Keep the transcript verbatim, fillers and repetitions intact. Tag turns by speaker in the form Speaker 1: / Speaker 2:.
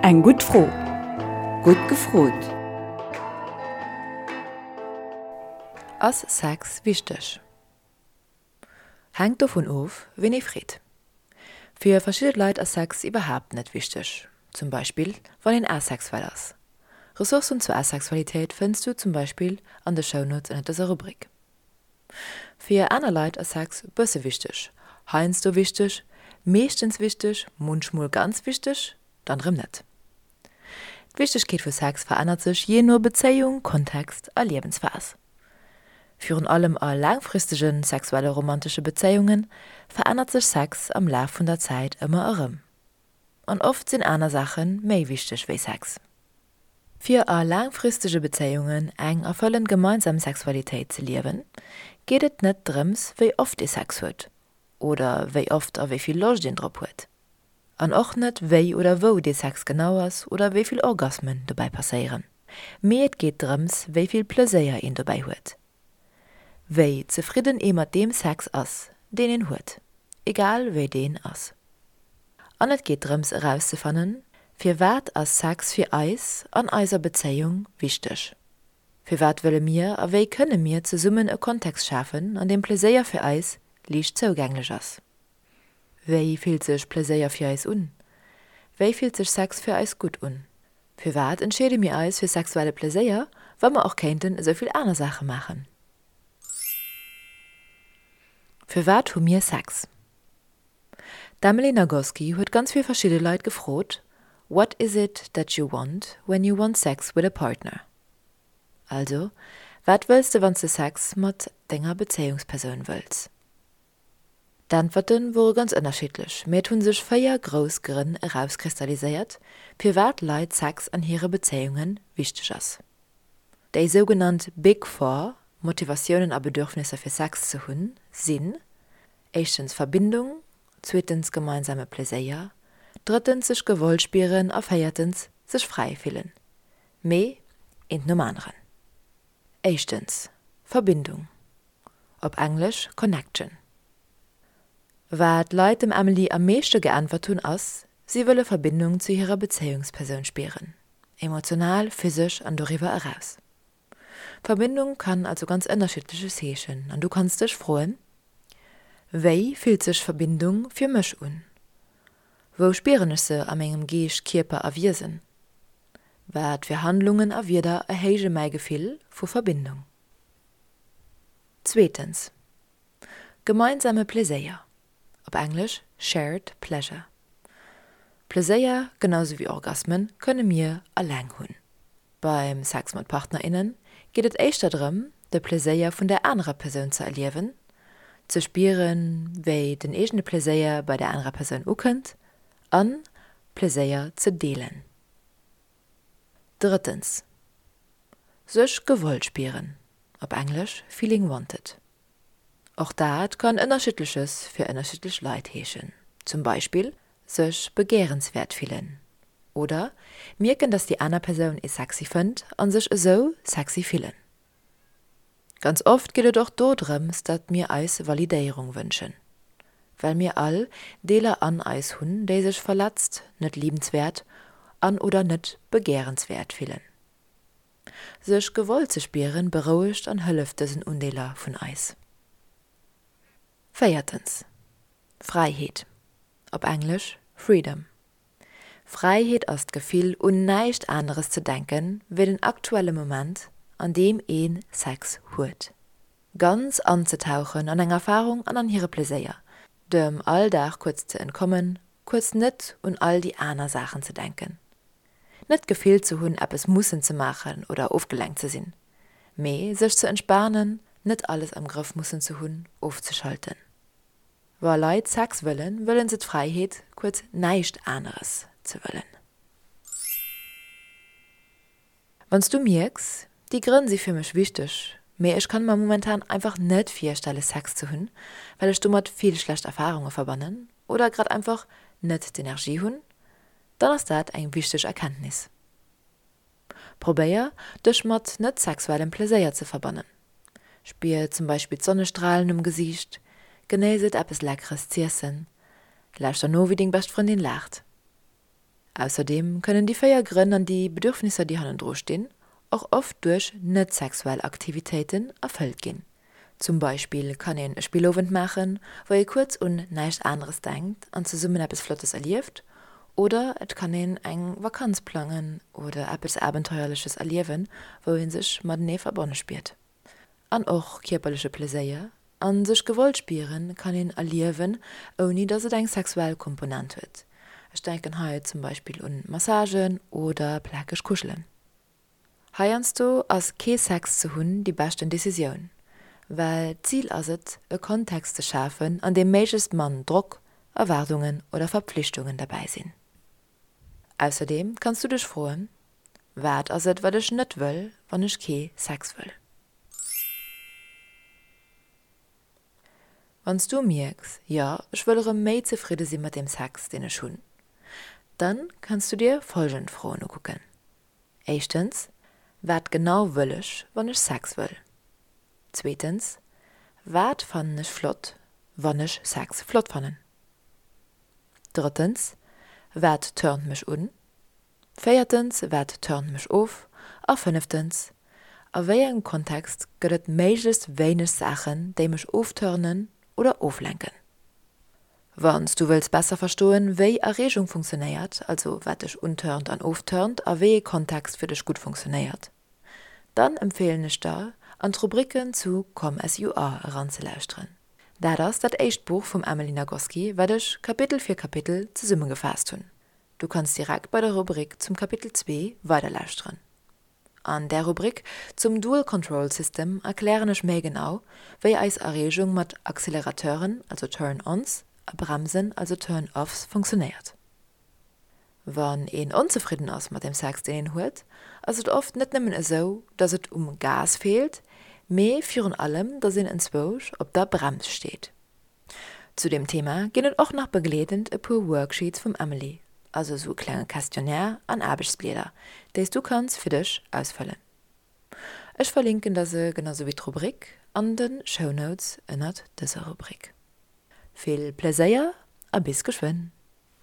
Speaker 1: Eng gutt Fro.
Speaker 2: Gutt gefrot!
Speaker 3: Ass Sex wichteg? Hänkt dovun of, ween ee freet. Fir verschidde Leit ass Sex iwwerhaapt net wichteg, zum Beispill wann een asexuell ass. Ressourcen zur Asexualitéit fënns du zum Beispill an de Shownotes ënnert dëser Rubrik. Fir aner Leit ass Sex bësse wichteg, heiansdo wichteg, meeschtens wichteg, munchmol ganz wichteg, dann rëm net. D'Wichtegkeet vu Sex verännert sech jee no Bezéiung, Kontext a Liewensphas. Virun allem a laangfristege sexuelle romantesche Bezéiunge verännert sech Sex am Laf vun der Zäit ëmmer erëm. An oft sinn aner Saache méi wichteg wéi Sex. Fir a laangfristege Bezéiungen eng erfëllend gemeinsam Sexualitéit ze liewen, geet et net drëms, wéi oft ee Sex huet oder wéi oft a wéi vill Loscht een drop huet. An och net, wéi oder wou dee Sex genau ass oder wéi vill Orgasmen dobäi passéieren. Mee et geet drëms, wéi vill Pleséier een dobäi huet. Wéi zefridden ee mat deem Sex ass, deen een huet, egal wéi deen ass. An et geet drëms erauszefannen, Firwat ass Sex fir eis an eiser Bezéiung wichteg? Firwat wëlle mir a wéi kënne mir zesummen e Kontext schafen, an deem Pleséier fir eis liicht zougänglech ass? Wéi fillt sech Pleséier fir eis un? Wéi fillt sech Sex fir eis gutt un? Firwat entscheede mir eis fir sexuelle Pleséier, wa mer och kéinten esou vill aner Saache maachen? Firwat hu mir Sex? D'Emily Nagoski huet ganz vill verschidde Leit gefrot, What is it that you want when you want sex with a partner? Also, wat wëlls de wann s de Sex mat denger Bezéiungspersoun wëlls? D'Äntwerte wore ganz ënnerschiddlech, mee et hu sech véier grouss Grënn erauskristalliséiert, firwat Leit Sex an hire Bezéiunge wichteg ass. Déi sougenannt Big Four, Motivatiounen a Bedürfnisser fir Sex ze hunn, sinn, éischtens Verbindung, zweetens gemeinsame Pleséier, drëttens sech gewollt spieren a véiertens sech fräi fillen. Mee eent nom aneren. Éischtens, Verbindung, op Englesch Connection. Wat d'Leit dem Emily am meeschte geäntwert hunn ass, si wëlle Verbindung zu hirer Bezéiungspersoun spieren, emotional, physesch an doriwwer eraus. Verbindung kann also ganz ënnerschiddleches heeschen an du kanns dech froen, Wéi fillt sech Verbindung fir mech un? Wou spieren ech se a mengem Geescht, Kierper a Wiesen? Wat fir Handlungen a Wierder erhéije mäi Gefill vu Verbindung? Zweetens, Gemeinsame Pleséier, op Englesch shared pleasure. Pleséier, genau sou wéi Orgasmen, kënne mir eleng hunn. Beim Sex mat Partner, innen geet et éischter drëm, de Pleséier vun der anerer Persoun ze erliewen, ze spieren, wéi den eegene Pleséier bei der anerer Persoun ukënnt an Pleséier ze deelen. Drëttens, Sech gewollt spieren, op Englesch feeling wanted. Och dat kann Ënnerschiddleches fir ënnerschiddlech Leit heeschen. Zum Beispill sech begehrenswäert fillen oder mierken, dass déi aner Persoun ee sexy fënnt an sech esou sexy fillen. Ganz oft geet et och do drëms, datt mir eis Validéierung wënschen, well mir all Deeler an eis hunn, déi sech verletzt, net liebenswäert an oder net begehrenswäert fillen. Sech gewollt ze spieren, berouegt an hëlleft dësen Undeeler vun eis. Véiertens, Fräiheet, op Englesch Freedom. Fräiheet ass d'Gefill, un näischt aneres ze denken, wéi den aktuelle Moment, an deem ee Sex huet. Ganz anzetauchen an eng Erfarung an an hire Pleséier, dem Alldag kuerz ze entkommen, kuerz net un all déi aner Saachen ze denken. Net d'Gefill ze hunn, eppes mussen ze maachen oder ofgelenkt ze sinn, mee sech ze entspanen, net alles am Grëff mussen ze hunn, ofzeschalten. Wa Leit Sex wëllen, wëllen se d'Fräiheet, kuerz näischt aneres ze wëllen. Wann s du mierks, déi Grënn si fir mech wichteg, mee ech kann mer momentan einfach net virstelle Sex ze hunn, well ech domat vill schlecht Erfarunge verbannen oder grad einfach net d'Energie hunn, dann ass dat eng wichteg Erkenntnis. Probéier, dech mat net sexuellem Pleséier ze verbannen. Spier zum Beispill d'Sonnestralen um Gesiicht, genéiss et eppes Leckeres z'iessen, lauschter no wéi deng bescht Frëndin laacht. Ausserdeem kënnen déi véier Grënn an déi Bedürfnisser, déi hannendru stinn, och oft duerch net sexuell Aktivitéiten erfëllt ginn. Zum Beispill kann een e Spillowend maachen, wou ee kuerz un näischt aneres denkt an zesummen eppes Flottes erlieft, oder et kann een eng Vakanz plangen oder eppes Abenteuerleches erliewen, wou ee sech matenee verbonne spiert. An och kierperleche Pleséier a sech gewollt spieren kann een erliewen, ouni dass et eng sexuell Komponent huet. Ech denken hei zum Beispill un Massagen oder plakeg Kuschelen. Heiansdo ass kee Sex ze hunn déi beschten Decisioun, well d'Zil ass et, e Kontext ze schafen, an deem méiglechst mann Drock, Erwaardungen oder Verpflichtungen derbäi sinn. Ausserdeem kanns du dech froen, Wat ass et, wat ech net wëll, wann ech kee Sex wëll? Wann s du mierks, Jo, ech wëll erëm méi zefridde si mat deem Sex, deen ech hunn, dann kanns du dir folgend Froen ukucken. Éischtens, Wat genau wëll ech, wann ech Sex wëll? Zweetens, Wat fannen ech flott, wann ech Sex flott fannen? Drëttens, Wat turnt mech un? Véiertens, Wat turnt mech of? A fënneftens, A wéi engem Kontext gëtt et méiglechst wéineg Saachen, déi mech ofturnen oder oflenken? Wann s du wëlls besser verstoen, wéi Erreegung funktionéiert, also wat dech unturnt an ofturnt a wéi ee Kontext fir dech gutt funktionéiert, dann empfeelen ech der, an d'Rubricken zu Come As You Are eranzelauschteren. Dat ass dat éischt Buch vum Emily Nagoski, wat ech Kapitel fir Kapitel zesummegefaasst hunn. Du kanns direkt bei der Rubrik zum Kapitel zwee weiderlauschteren. An där Rubrik zum Dual Control System erklären ech méi genau, wéi eis Erreegung mat Accelerateuren, also Turn-ons, a Bremsen, also Turn-offs, funktionéiert. Wann een onzefridden ass mat dem Sex, deen een huet, ass et oft net nëmmen esou, dass et um Gas feelt, mee virun allem, dass een enzwousch op der Brems steet. Zu deem Thema ginn et och nach begleedend e puer Worksheets vum Emily, also esou e klenge Questionnaire an Aarbechtsblieder, déi s du kanns fir dech ausfëllen. Ech verlinken der se, genau sou wéi d'Rubrik, an de Shownotes ënnert dëser Rubrik. Vill Pleséier a bis geschwënn!